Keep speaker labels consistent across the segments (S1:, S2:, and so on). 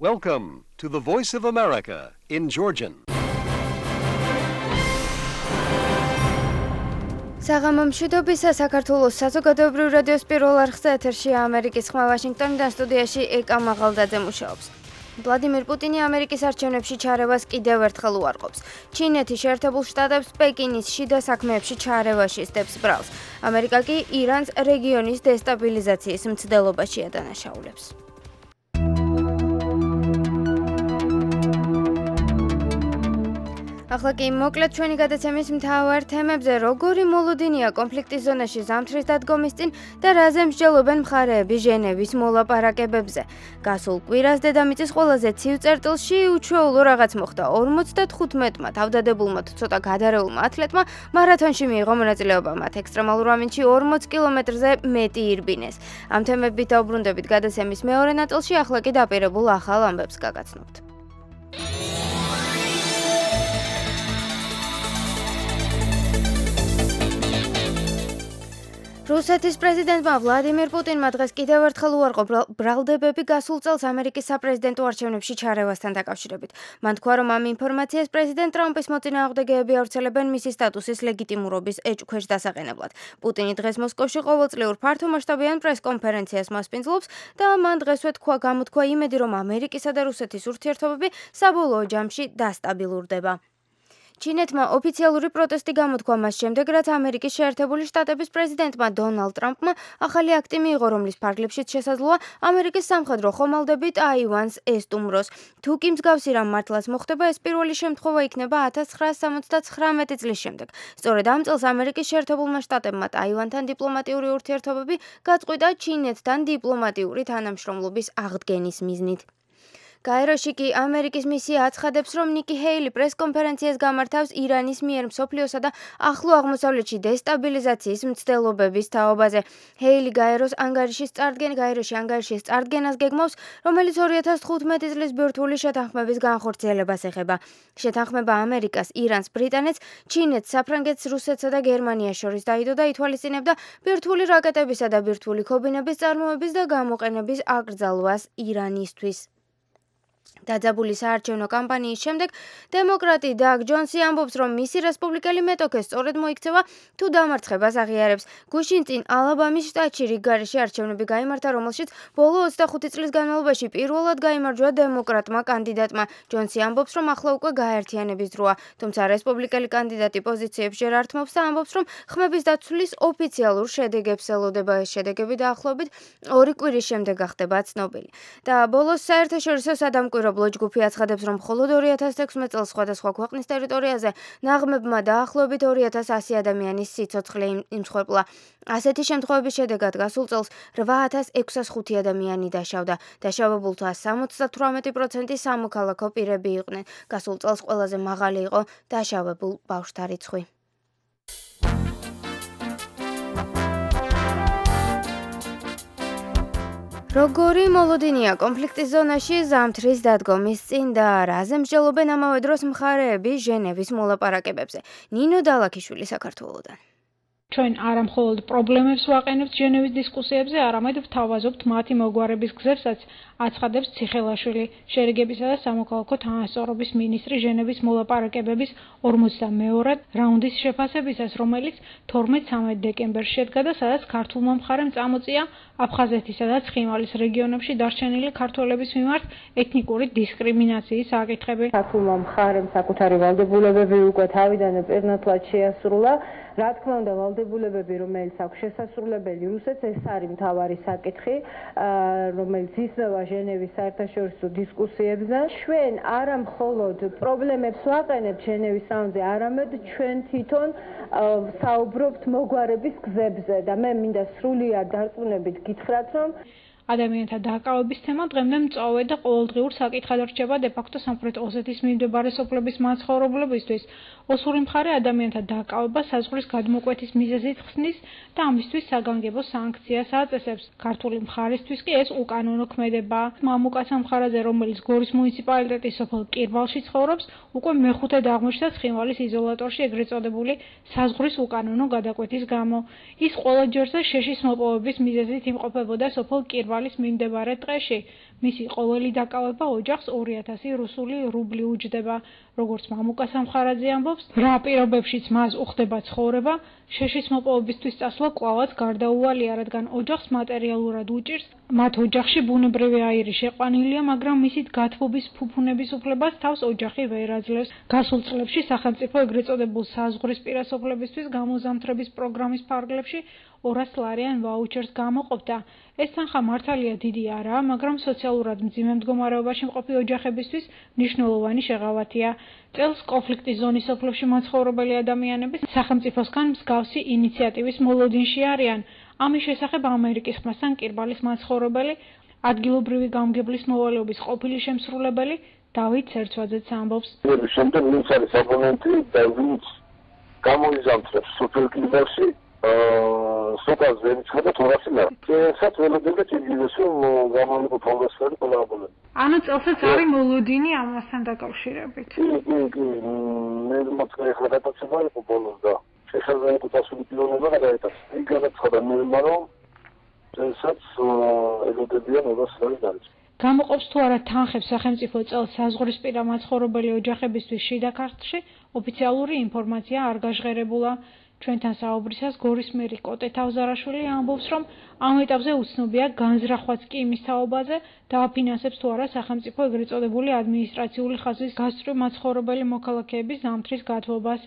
S1: Welcome to the Voice of America in Georgian.
S2: საღამომშვიდობისა საქართველოს საზოგადოებრივ რადიოს პირველ არხზე ეთერში ამერიკის ხმა ვაშინგტონიდან სტუდიაში ეკა მაღალდაძე მუშაობს. ვლადიმირ პუტინი ამერიკის არჩევნებში ჩარევას კიდევ ერთხელ უარყოფს. ჩინეთი შეერთებულ შტატებს პეკინის შიდა საქმეებში ჩარევაში სდებს ბრალს. ამერიკა კი ირანს რეგიონის დესტაბილიზაციის მცდელობაში ადანაშაულებს. ახლა კი მოკლედ ჩვენი გადაცემის მთავარ თემებზე, როგორი მოლოდინია კონფლიქტის ზონაში ზამთრის დადგომის წინ და რაზე მსჯელობენ მხარეები ჟენევის მოლაპარაკებებზე. გასულ კვირას დედამიწის ყველაზე ცივ წერტილში უჩვეულო რაღაც მოხდა. 55-მა თავდადებულმა თუ ცოტა გადარეულმა ათლეტმა მარათონში მიიღო მონაწილეობა. მათ ექსტრემალურ ამინდში 40 კილომეტრზე მეტი ირბინეს. ამ თემებით დაუბრუნდებით გადაცემის მეორე ნაწილში, ახლა კი დაპირებულ ახალ ამბებს გაგაცნობთ. რუსეთის პრეზიდენტმა ვლადიმირ პუტინმა დღეს კიდევ ერთხელ უარყო ბრალდებები გასულ წელს ამერიკის საპრეზიდენტო არჩევნებში ჩარევასთან დაკავშირებით. მან თქვა, რომ ამ ინფორმაციას პრეზიდენტ ტრამპის მოწინააღმდეგეები ავრცელებენ მისი სტატუსის ლეგიტიმურობის ეჭქვეშ დასაყენებლად. პუტინი დღეს მოსკოვში ყოველწლიურ ფართომასშტაბიან პრეს-კონფერენციას მასპინძლობს და მან დღესვე გამოთქვა იმედი, რომ ამერიკისა და რუსეთის ურთიერთობები საბოლოო ჯამში დასტაბილურდება. ჩინეთმა ოფიციალური პროტესტი გამოთქვა მას შემდეგ, რაც ამერიკის შეერთებული შტატების პრეზიდენტმა დონალდ ტრამპმა ახალი აქტი მიიღო, რომლის ფარგლებშიც შესაძლოა ამერიკის სამხედრო ხომალდები ტაივანს ესტუმროს. თუ კი მსგავსი რამ მართლაც მოხდება, ეს პირველი შემთხვევა იქნება 1979 წლის შემდეგ. სწორედ ამ წელს ამერიკის შეერთებულმა შტატებმა ტაივანთან დიპლომატიური ურთიერთობები გაწყვიტა ჩინეთთან დიპლომატიური თანამშრომლობის აღდგენის მიზნით. გაეროში კი ამერიკის მისია აცხადებს, რომ ნიკი ჰეილი პრეს-კონფერენციას გამართავს ირანის მიერ მსოფლიოსა და ახლო აღმოსავლეთში დესტაბილიზაციის მცდელობების თაობაზე. ჰეილი გაეროში ანგარიშის წარდგენას გეგმავს, რომელიც 2015 წლის ბირთვული შეთანხმების განხორციელებას ეხება. შეთანხმება ამერიკას, ირანს, ბრიტანეთს, ჩინეთს, საფრანგეთს, რუსეთსა და გერმანიას შორის დაიდო და ითვალისწინებდა ბირთვული რაკეტებისა და ბირთვული ქობინების წარმოების და გამოყენების აკრძალვას ირანისთვის. დაძაბული საარჩევნო კამპანიის შემდეგ დემოკრატი დაგ ჯონსი ამბობს, რომ მისი რესპუბლიკელი მეტოქე სწორედ მოიქცევა თუ დამარცხებას აღიარებს. გუშინ წინ ალაბამის შტატში რიგგარეშე არჩევნები გაიმართა, რომელშიც ბოლო 25 წლის განმავლობაში პირველად გაიმარჯვა დემოკრატმა კანდიდატმა. ჯონსი ამბობს, რომ ახლა უკვე გაერთიანების დროა, თუმცა რესპუბლიკელი კანდიდატი პოზიციებს ჯერ არ თმობს და ამბობს, რომ ხმების დაცვლის ოფიციალურ შედეგებს ელოდება. ეს შედეგები დაახლოებით 2 კვირის შემდეგ გახდება ცნობილი. და ბოლოს საერთაშორისო სადამკვირვებლო ჯგუფი აცხადებს, რომ მხოლოდ 2016 წელს სხვადასხვა ქვეყნის ტერიტორიაზე ნაღმებმა დაახლოებით 2100 ადამიანის სიცოცხლე იმსხვერპლა. ასეთი შემთხვევების შედეგად გასულ წელს 8605 ადამიანი დაშავდა. დაშავებულთა 78% სამოქალაქო პირები იყვნენ. გასულ წელს ყველაზე მაღალი იყო დაშავებულ ბავშვთა რიცხვი. როგორი მოლოდინია კონფლიქტის ზონაში ზამთრის დადგომის წინ და რაზე მსჯელობენ ამავე დროს მხარეები ჟენევის მოლაპარაკებებზე. ნინო დალაქიშვილი საქართველოდან.
S3: ჩვენ არა მხოლოდ პრობლემებს ვაყენებთ ჟენევის დისკუსიებზე, არამედ ვთავაზობთ მათი მოგვარების გზებსაც, აცხადებს ციხელაშვილი, შერიგებისა და სამოქალაქო თანასწორობის მინისტრი ჟენევის მოლაპარაკებების 42-რդ რაუნდის შეფასებისას, რომელიც 12-13 დეკემბერში შედგა და სადაც ქართულმა მხარემ წამოწია აფხაზეთისა და ცხინვალის რეგიონებში დარჩენილი ქართველების მიმართ ეთნიკური დისკრიმინაციის საკითხები.
S4: ქართულმა მხარემ საკუთარი ვალდებულებები უკვე თავიდანვე პირნათლად შეასრულა. რა თქმა უნდა, ვალდებულებები, რომელიც აქვს შესასრულებელი რუსეთს, ეს არის მთავარი საკითხი, რომელიც ისრევა ჟენევის საერთაშორისო დისკუსიებზე. ჩვენ არა მხოლოდ პრობლემებს ვაყენებთ ჟენევის რაუნდზე, არამედ ჩვენ თვითონ საუბრობთ მოგვარების გზებზე და მე მინდა სრულიად დარწმუნებით გითხრათ, რომ
S3: ადამიანთა დაკავების თემა დღემდე მწვავე და ყოველდღიურ საკითხად რჩება დე-ფაქტო სამხრეთ ოსეთის მიმდებარე სოფლების მაცხოვრებლებისთვის. ოსური მხარე ადამიანთა დაკავება საზღვრის გადმოკვეთის მიზეზით ხსნის და ამისთვის საგანგებო სანქციას აწესებს. ქართული მხარისთვის კი ეს უკანონო ქმედებაა. მამუკაცა მხარაზე, რომელიც გორის მუნიციპალიტეტის სოფელ კირბალში ცხოვრობს, უკვე მეხუთედ აღმოჩნდა ცხინვალის იზოლატორში ეგრეთ წოდებული საზღვრის უკანონო გადაკვეთის გამო. ის ყველა ჯერზე შეშის მოპოვების მიზეზით იმყოფებოდა სოფელ კირბალში თვალის მიმდებარე დღეში. მისი ყოველი დაკავება ოჯახს 2000 რუსული რუბლი უჯდება. როგორც მამუკა სამხარაძე ამბობს, რა პირობებშიც მას უხდება ცხოვრება, შეშის მოპოვებისთვის წასვლა კვლავაც გარდაუვალია, რადგან ოჯახს მატერიალურად უჭირს. მათ ოჯახში ბუნებრივი აირი შეყვანილია, მაგრამ მისით გათბობის ფუფუნების უფლებას თავს ოჯახი ვერ აძლევს. გასულ წლებში სახელმწიფო ეგრეთ წოდებულ საზღვრის პირასოფლებისთვის გამოზამთრების პროგრამის ფარგლებში 200 ლარიან ვაუჩერს გამოყოფდა. ეს თანხა მართალია დიდი არაა, მაგრამ სოციალურად მძიმე მდგომარეობაში მყოფი ოჯახებისთვის მნიშვნელოვანი შეღავათია. წელს კონფლიქტის ზონის სოფლებში მაცხოვრებელი ადამიანები სახელმწიფოსგან მსგავსი ინიციატივის მოლოდინში არიან. ამის შესახებ ამერიკის ხმასთან კირბალის მაცხოვრებელი, ადგილობრივი გამგებლის მოვალეობის ყოფილი შემსრულებელი დავით ცერცვაძეც ამბობს.
S5: შემდეგ ვინც არის აბონენტი და ვინც გამოიზამთრებს სოფელ კირბალში სოფელს ვერ იცხება 200 ლარი. ესაც ველოდება ჭირდება გამოიყო ფონდოსფერი ყველა აბონენტი.
S3: ანუ წელსაც არის მოლოდინი ამასთან დაკავშირებით.
S5: კი, მე მოწყვე ახლა გადაცემა იყო ბოლოს და შესაძლოა წასული პილონება გადაეტანა. იქ გადაცხადა მე რომ წელსაც ელოდებიან 200 ლარი დაიწყო.
S3: გამოყოფს თუ არა თანხებს სახელმწიფო წელს საზღვრისპირა მაცხოვრებელი ოჯახებისთვის შიდა ქართლში, ოფიციალური ინფორმაცია არ გაჟღერებულა. ჩვენთან საუბრისას გორის მერი კოტე თავზარაშვილი ამბობს, რომ ამ ეტაპზე უცნობია განზრახვაც კი იმის თაობაზე დააფინანსებს თუ არა სახელმწიფო ეგრეთ წოდებული ადმინისტრაციული ხაზის გასწვრივ მაცხოვრებელი მოქალაქეების ზამთრის გათბობას.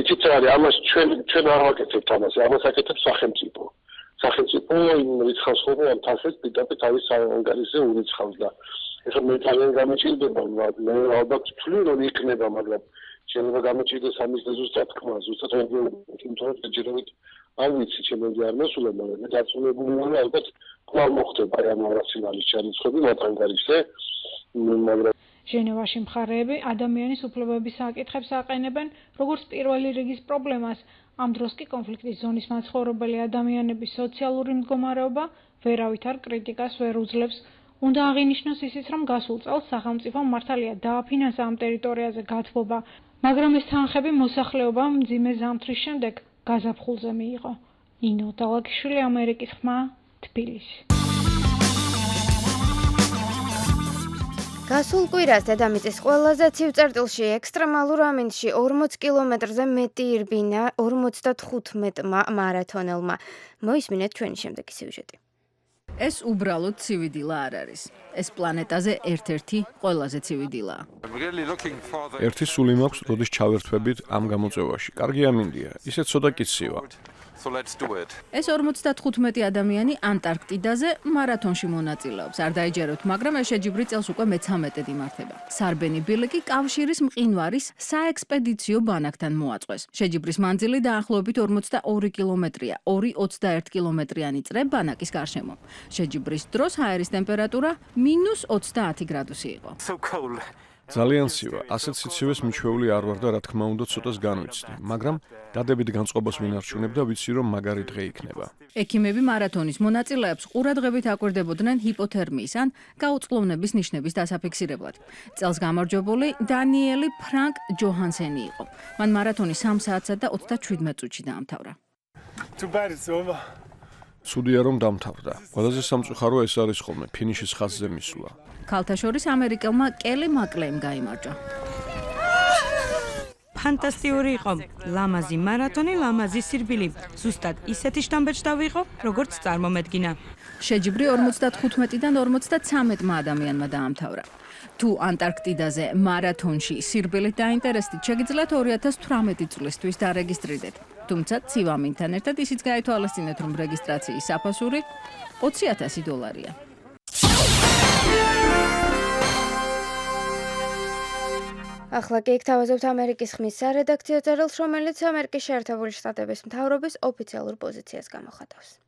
S5: იცით რა არის, ამას ჩვენ არ ვაკეთებთ ამას, ამას აკეთებს სახელმწიფო. სახელმწიფო იმ რიცხავს ხოლმე ამ თანხებს პირდაპირ თავის საანგარიშზე ურიცხავს და ეხლა მე ძალიან გამიჭირდება, მე ალბათ ვთვლი რომ იქნება, მაგრამ შეიძლება გამიჭირდეს ამის ზუსტად თქმა, ზუსტად თუმცა ჯერჯერობით არ ვიცი, ჩემი არ მოსულა, მაგრამ მე დარწმუნებული ვარ, ალბათ კვლავ მოხდება ამ რაციონალის ჩარიცხვები მათ ანგარიშზე, მაგრამ
S3: ჟენევაში მხარეები ადამიანის უფლებების საკითხებს აყენებენ როგორც პირველი რიგის პრობლემას. ამ დროს კი კონფლიქტის ზონის მაცხოვრებელი ადამიანების სოციალური მდგომარეობა ვერავითარ კრიტიკას ვერ უძლებს. უნდა აღინიშნოს ისიც, რომ გასულ წელს სახელმწიფომ მართალია დააფინანსა ამ ტერიტორიაზე გათბობა, მაგრამ ეს თანხები მოსახლეობამ მძიმე ზამთრის შემდეგ გაზაფხულზე მიიღო. ინო დალაგიშვილი, ამერიკის ხმა, თბილისი.
S2: გასულ კვირას დედამიწის ყველაზე ცივ წერტილში ექსტრემალურ ამინდში 40 კილომეტრზე მეტი ირბინა 55 მარათონელმა. მოისმინეთ ჩვენი შემდეგი სიუჟეტი.
S6: ეს უბრალოდ ცივი დილა არ არის. ეს პლანეტაზე ერთ-ერთი ყველაზე ცივი დილაა.
S7: ერთი სული მაქვს, როდის ჩავერთვებით ამ გამოწვევაში. კარგი ამინდია, ისე ცოტა კი ცივა.
S6: ეს 55 ადამიანი ანტარქტიდაზე მარათონში მონაწილეობს. არ დაიჯეროთ, მაგრამ ეს შეჯიბრი წელს უკვე მე-13 იმართება. სარბენი ბილიკი კავშირის მყინვარის საექსპედიციო ბანაკთან მოაწყვეს. შეჯიბრის მანძილი დაახლოებით 42 კილომეტრია, 2-21 კილომეტრიანი წრე ბანაკის გარშემო. შეჯიბრის დროს ჰაერის ტემპერატურა -30 გრადუსი იყო.
S7: ძალიან ცივა, ასეთ სიცივეს მიჩვეული არ ვარ და რა თქმა უნდა ცოტას განვიცდი, მაგრამ დადებით განწყობას ვინ არჩუნებ და ვიცი რომ მაგარი დღე იქნება.
S6: ექიმები მარათონის მონაწილეებს ყურადღებით აკვირდებოდნენ ჰიპოთერმიის ან გაუწყლოვნების ნიშნების დასაფიქსირებლად. წელს გამარჯვებული დანიელი ფრანკ ჯოჰანსენი იყო. მან მარათონი 3 საათსა და 27 წუთში დაამთავრა.
S7: ცუდია რომ დამთავრდა. ყველაზე სამწუხარო ეს არის ხოლმე ფინიშის ხაზზე მისვლა.
S6: ქალთა შორის ამერიკელმა კელი მაკლეიმ გაიმარჯვა.
S8: ფანტასტიკური იყო. ლამაზი მარათონი, ლამაზი სირბილი. ზუსტად ისეთი შტამბეჭ დავიღო, როგორც წარმომედგინა.
S6: შეჯიბრი 55-დან 53 ადამიანმა დაამთავრა. თუ ანტარქტიდაზე მარათონში სირბილით დაინტერესდით, შეგიძლიათ 2018 წლისთვის დარეგისტრირდეთ. თუმცა ცივამინთან ერთად ისიც გაითვალისწინეთ, რომ რეგისტრაციის საფასური $20,000.
S2: ახლა კი გთავაზობთ ამერიკის ხმის სარედაქციო წერილს, რომელიც ამერიკის შეერთებული შტატების მთავრობის ოფიციალურ პოზიციას გამოხატავს.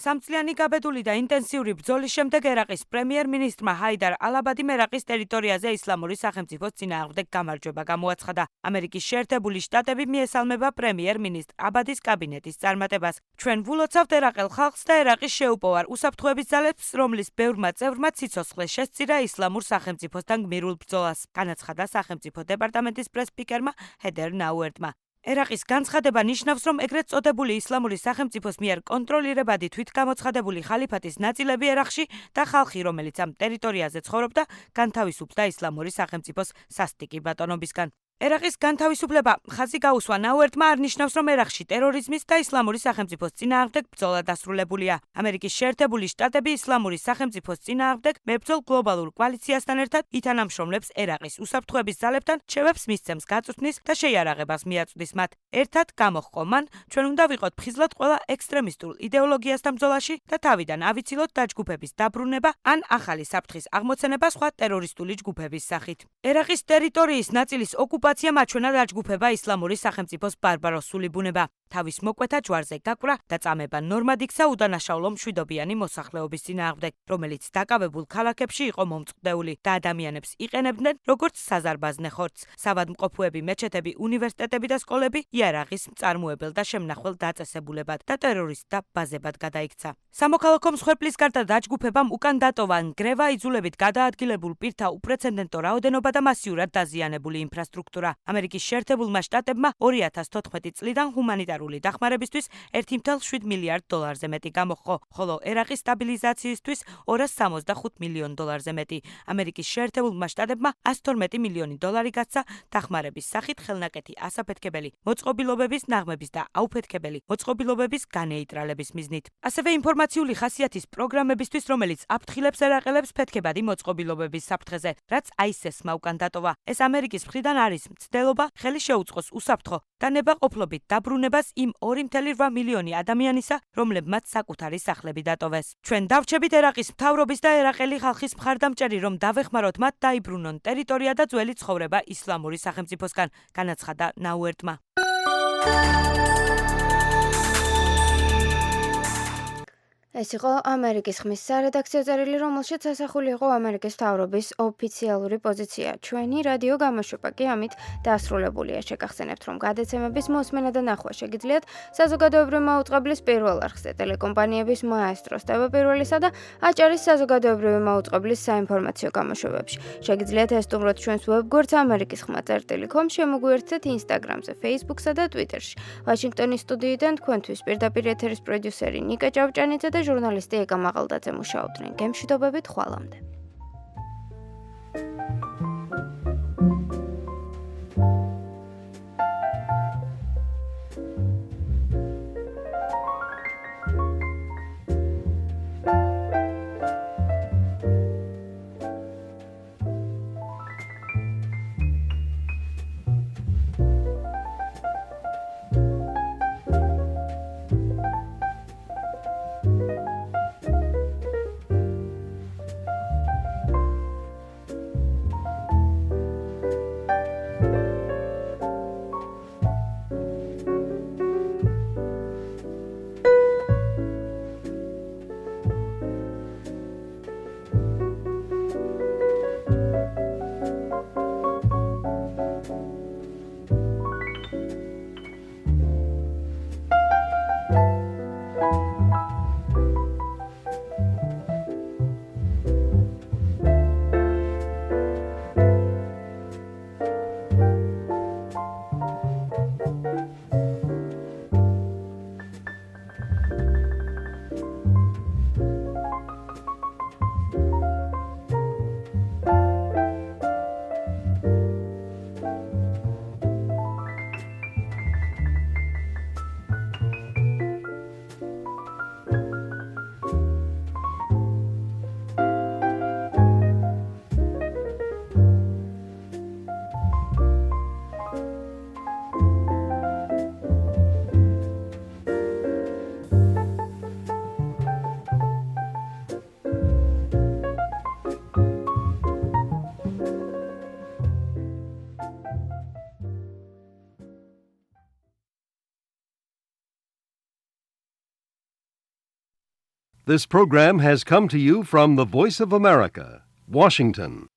S8: სამწლიანი გაბედული და ინტენსიური ბრძოლის შემდეგ ერაყის პრემიერ-მინისტრმა ჰაიდარ ალ-აბადიმ ერაყის ტერიტორიაზე ისლამური სახელმწიფოს წინააღმდეგ გამარჯვება გამოაცხადა. ამერიკის შეერთებული შტატები მიესალმება პრემიერ-მინისტრ აბადის კაბინეტის წარმატებას. ჩვენ ვულოცავთ ერაყელ ხალხს და ერაყის შეუპოვარ უსაფრთხოების ძალებს, რომლის ბევრმა წევრმა ციცოცხლე შესწირა ისლამურ სახელმწიფოსთან გმირულ ბრძოლას, განაცხადა სახელმწიფო დეპარტამენტის პრეს-სპიკერმა ჰედერ ნაუერტმა. ერაყის განცხადება ნიშნავს, რომ ეგრეთ წოდებული ისლამური სახელმწიფოს მიერ კონტროლირებადი თვითგამოცხადებული ხალიფატის ნაწილები ერაყში და ხალხი, რომელიც ამ ტერიტორიაზე ცხოვრობდა, განთავისუფლდა ისლამური სახელმწიფოს სასტიკი ბატონობისგან. ერაყის განთავისუფლება ხაზი გაუსვა ნაუერთმა არ ნიშნავს, რომ ერაყში ტერორიზმის და ისლამური სახელმწიფოს წინააღმდეგ ბრძოლა დასრულებულია. ამერიკის შეერთებული შტატები ისლამური სახელმწიფოს წინააღმდეგ მებრძოლ გლობალურ კოალიციასთან ერთად ითანამშრომლებს ერაყის უსაფრთხოების ძალებთან, შევებს მისცემს გაწვრთნის და შეიარაღებას მიაწვდის მათ. ერთად გამოჰყო მან, ჩვენ უნდა ვიყოთ ფხიზლად ყველა ექსტრემისტულ იდეოლოგიასთან ბრძოლაში და თავიდან ავიცილოთ დაჯგუფების დაბრუნება ან ახალი საფრთხის აღმოცენება სხვა ტერორისტული ჯგუფების სახით. ერაყის ტერიტორიის ნაწილის ოკუპაციამ აჩვენა დაჯგუფება ისლამური სახელმწიფოს ბარბაროსული ბუნება. თავის მოკვეთა ჯვარზე გაკვრა და წამება ნორმად იქცა უდანაშაულო მშვიდობიანი მოსახლეობის წინააღმდეგ, რომელიც დაკავებულ ქალაქებში იყო მომწყდეული და ადამიანებს იყენებდნენ როგორც საზარბაზნე ხორცს. სავადმყოფოები, მეჩეთები, უნივერსიტეტები და სკოლები იარაღის მწარმოებელ და შემნახველ დაწესებულებად და ტერორისტთა ბაზებად გადაიქცა. სამოქალაქო მსხვერპლის გარდა დაჯგუფებამ უკან დატოვა ნგრევა, იძულებით გადაადგილებულ პირთა უპრეცედენტო რაოდენობა და მასიურად დაზიანებული ინფრასტრუქტურა. ამერიკის შეერთებულმა შტატებმა 2014 წლიდან ჰუმანიტარული დახმარებისთვის 1.7 მილიარდ დოლარზე მეტი გამოჰყო, ხოლო ერაყის სტაბილიზაციისთვის 265 მილიონ დოლარზე მეტი. ამერიკის შეერთებულმა შტატებმა 112 მილიონი დოლარი გასცა დახმარების სახით ხელნაკეთი ასაფეთქებელი მოწყობილობების ნაღმების და აუფეთქებელი მოწყობილობების განეიტრალების მიზნით. ასევე ინფორმაციული ხასიათის პროგრამებისთვის, რომელიც აფრთხილებს ერაყელებს ფეთქებადი მოწყობილობების საფრთხეზე, რაც ISIS-მა უკან დატოვა. ეს ამერიკის მხრიდან არის მცდელობა ხელი შეუწყოს უსაფრთხო და ნებაყოფლობით დაბრუნებას იმ 2.8 მილიონი ადამიანისა, რომლებმაც საკუთარი სახლები დატოვეს. ჩვენ დავრჩებით ერაყის მთავრობის და ერაყელი ხალხის მხარდამჭერი, რომ დავეხმაროთ მათ დაიბრუნონ ტერიტორია და ძველი ცხოვრება ისლამური სახელმწიფოსგან, განაცხადა ნაუერთმა.
S2: ეს იყო ამერიკის ხმის სარედაქციო წერილი, რომელშიც ასახული იყო ამერიკის მთავრობის ოფიციალური პოზიცია. ჩვენი რადიო გამოშვება კი ამით დასრულებულია. შეგახსენებთ, რომ გადაცემების მოსმენა და ნახვა შეგიძლიათ საზოგადოებრივი მაუწყებლის პირველ არხზე, ტელეკომპანიების მაესტროს, TV1-ისა და აჭარის საზოგადოებრივი მაუწყებლის საინფორმაციო გამოშვებებში. შეგიძლიათ ესტუმროთ ჩვენს ვებგვერდს amerikisxma.com, შემოგვიერთდეთ Instagram-ზე, Facebook-სა და Twitter-ში. ვაშინგტონის სტუდიიდან თქვენთვის პირდაპირ ეთერის პროდიუსერი ნიკა ჭავჭანიძე და ჟურნალისტი ეკა მაღალდაძე მუშაობდნენ. გემშვიდობებით ხვალამდე.
S1: This program has come to you from the Voice of America, Washington.